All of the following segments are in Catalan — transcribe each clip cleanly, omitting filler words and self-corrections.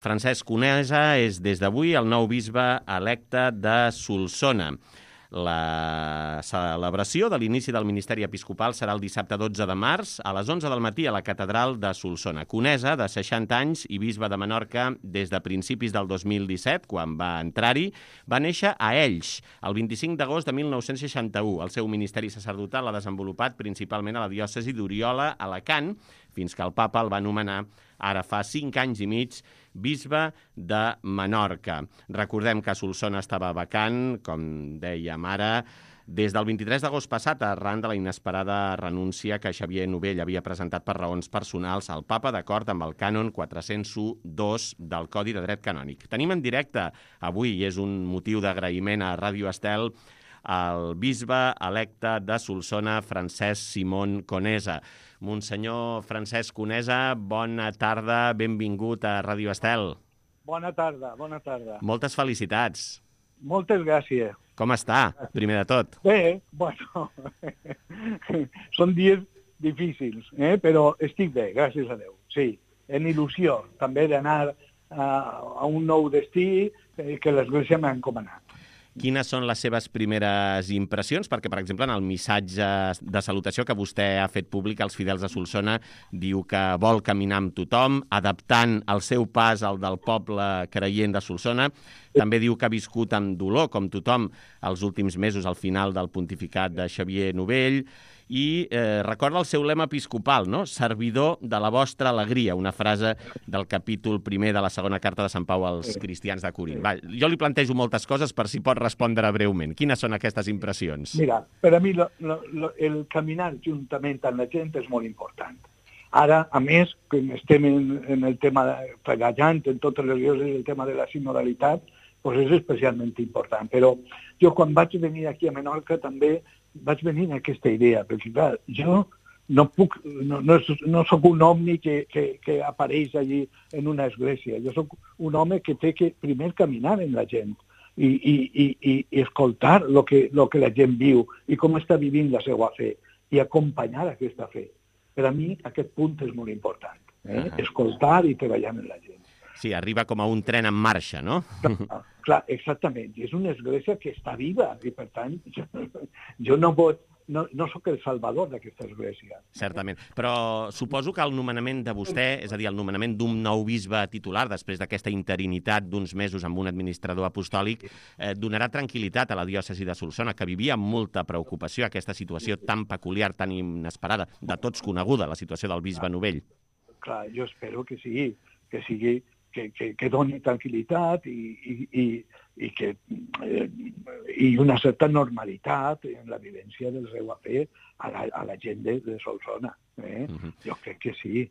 Francesc Conesa és des d'avui el nou bisbe electe de Solsona. La celebració de l'inici del ministeri episcopal serà el dissabte 12 de març a les 11 del matí a la catedral de Solsona. Conesa, de 60 anys i bisbe de Menorca des de principis del 2017, quan va entrar-hi, va néixer a Elx el 25 d'agost de 1961. El seu ministeri sacerdotal l'ha desenvolupat principalment a la diòcesi d'Oriola, a Alacant, fins que el papa el va nomenar ara fa 5 anys i mig, bisbe de Menorca. Recordem que Solsona estava vacant, com dèiem ara, des del 23 d'agost passat, arran de la inesperada renúncia que Xavier Novell havia presentat per raons personals al papa, d'acord amb el cànon 401.2 del Codi de Dret Canònic. Tenim en directe avui, i és un motiu d'agraïment a Ràdio Estel, el bisbe electe de Solsona, Francesc Simón Conesa. Monsenyor Francesc Conesa, bona tarda, benvingut a Ràdio Estel. Bona tarda, bona tarda. Moltes felicitats. Moltes gràcies. Com està, primer de tot? Bé, bueno, són dies difícils, però estic bé, gràcies a Déu. Sí, en il·lusió també d'anar a un nou destí que l'Església m'ha encomanat. Quines són les seves primeres impressions? Perquè, per exemple, en el missatge de salutació que vostè ha fet públic als fidels de Solsona, diu que vol caminar amb tothom, adaptant el seu pas al del poble creient de Solsona. També diu que ha viscut amb dolor, com tothom, els últims mesos al final del pontificat de Xavier Novell, i recorda el seu lema episcopal, no? Servidor de la vostra alegria, una frase del capítol 1 de la segona carta de Sant Pau als cristians de Corint. Va, jo li plantejo moltes coses per si pot respondre breument. Quines són aquestes impressions? Mira, per a mi el caminar juntament amb la gent és molt important. Ara, a més, que estem en el tema, treballant en totes les diòcesis el tema de la sinodalitat, doncs és especialment important. Però jo quan vaig venir aquí a Menorca també vaig venir amb aquesta idea, perquè clar, jo no soc un omni que apareix allí en una església. Jo soc un home que té que primer caminar amb la gent i escoltar el que la gent viu i com està vivint la seva fe i acompanyar aquesta fe. Per a mi aquest punt és molt important, escoltar i treballar amb la gent. Sí, arriba com a un tren en marxa, no? Clar, exactament. És una església que està viva i, per tant, jo no soc el salvador d'aquesta església. Certament. Però suposo que el nomenament de vostè, és a dir, el nomenament d'un nou bisbe titular després d'aquesta interinitat d'uns mesos amb un administrador apostòlic, donarà tranquil·litat a la diòcesi de Solsona, que vivia amb molta preocupació aquesta situació tan peculiar, tan inesperada, de tots coneguda, la situació del bisbe Novell. Clar, jo espero que sigui que doni tranquil·litat i una certa normalitat en la vivència del seu fe a la gent de Solsona. Jo crec que sí.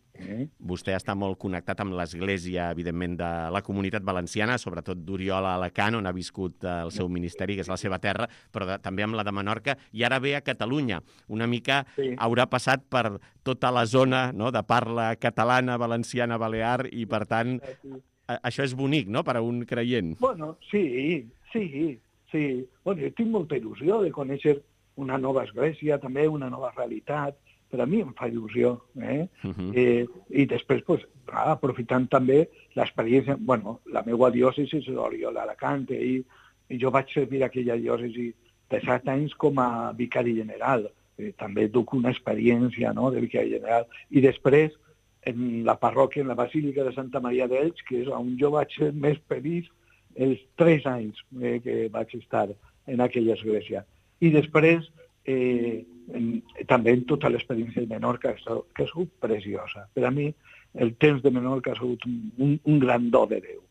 Vostè està molt connectat amb l'Església, evidentment, de la Comunitat Valenciana, sobretot d'Oriola a Alacant, on ha viscut el seu ministeri, que és la seva terra, però també amb la de Menorca, i ara ve a Catalunya. Una mica haurà passat per tota la zona, no?, de parla catalana, valenciana, balear, i per tant, això és bonic, no?, per a un creient. Bueno, sí. Bueno, jo tinc molta il·lusió de conèixer una nova església, també una nova realitat. Per a mi em fa il·lusió. I després, aprofitant també l'experiència... Bueno, la meva diòcesi és l'Oriola d'Alacant i jo vaig servir aquella diòcesi de 7 anys com a vicari general. També duc una experiència de vicari general. I després, en la parròquia, en la Basílica de Santa Maria d'Elx, que és on jo vaig ser més feliç els 3 anys que vaig estar en aquella església. I després, també en tota l'experiència de Menorca, que ha sigut preciosa. Per a mi, el temps de Menorca ha sigut un gran do de Déu,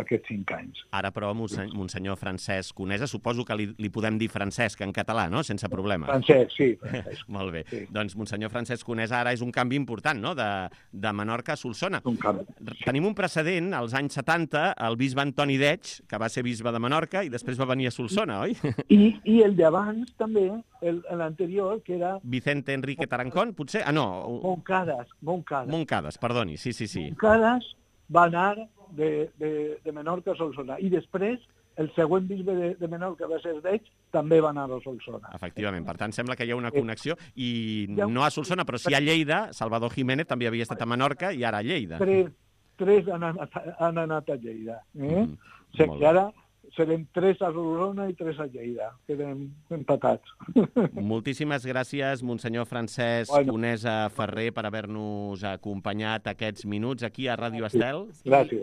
aquests 5 anys. Ara, però, Monsenyor Francesc Conesa, suposo que li podem dir Francesc en català, no?, sense problema. Francesc, sí. Francesc. Molt bé. Sí. Doncs, Monsenyor Francesc Conesa, ara és un canvi important, no?, de Menorca a Solsona. Un canvi. Sí. Tenim un precedent, als anys 70, el bisbe Antoni Deig, que va ser bisbe de Menorca, i després va venir a Solsona, oi? I el d'abans, també, l'anterior, que era... Vicente Enrique Tarancón, potser? Ah, no. Moncades, perdoni, sí. Moncades va anar de Menorca a Solsona. I després, el següent bisbe de Menorca va ser Deig, també va anar a Solsona. Efectivament. Per tant, sembla que hi ha una connexió, i no a Solsona, però sí a Lleida. Salvador Jiménez també havia estat a Menorca i ara a Lleida. 3 han anat a Lleida. O sigui que ara serem 3 a Solsona i 3 a Lleida. Quedem empatats. Moltíssimes gràcies, Monsenyor Francesc Conesa Ferrer, per haver-nos acompanyat aquests minuts aquí a Ràdio Estel. Gràcies.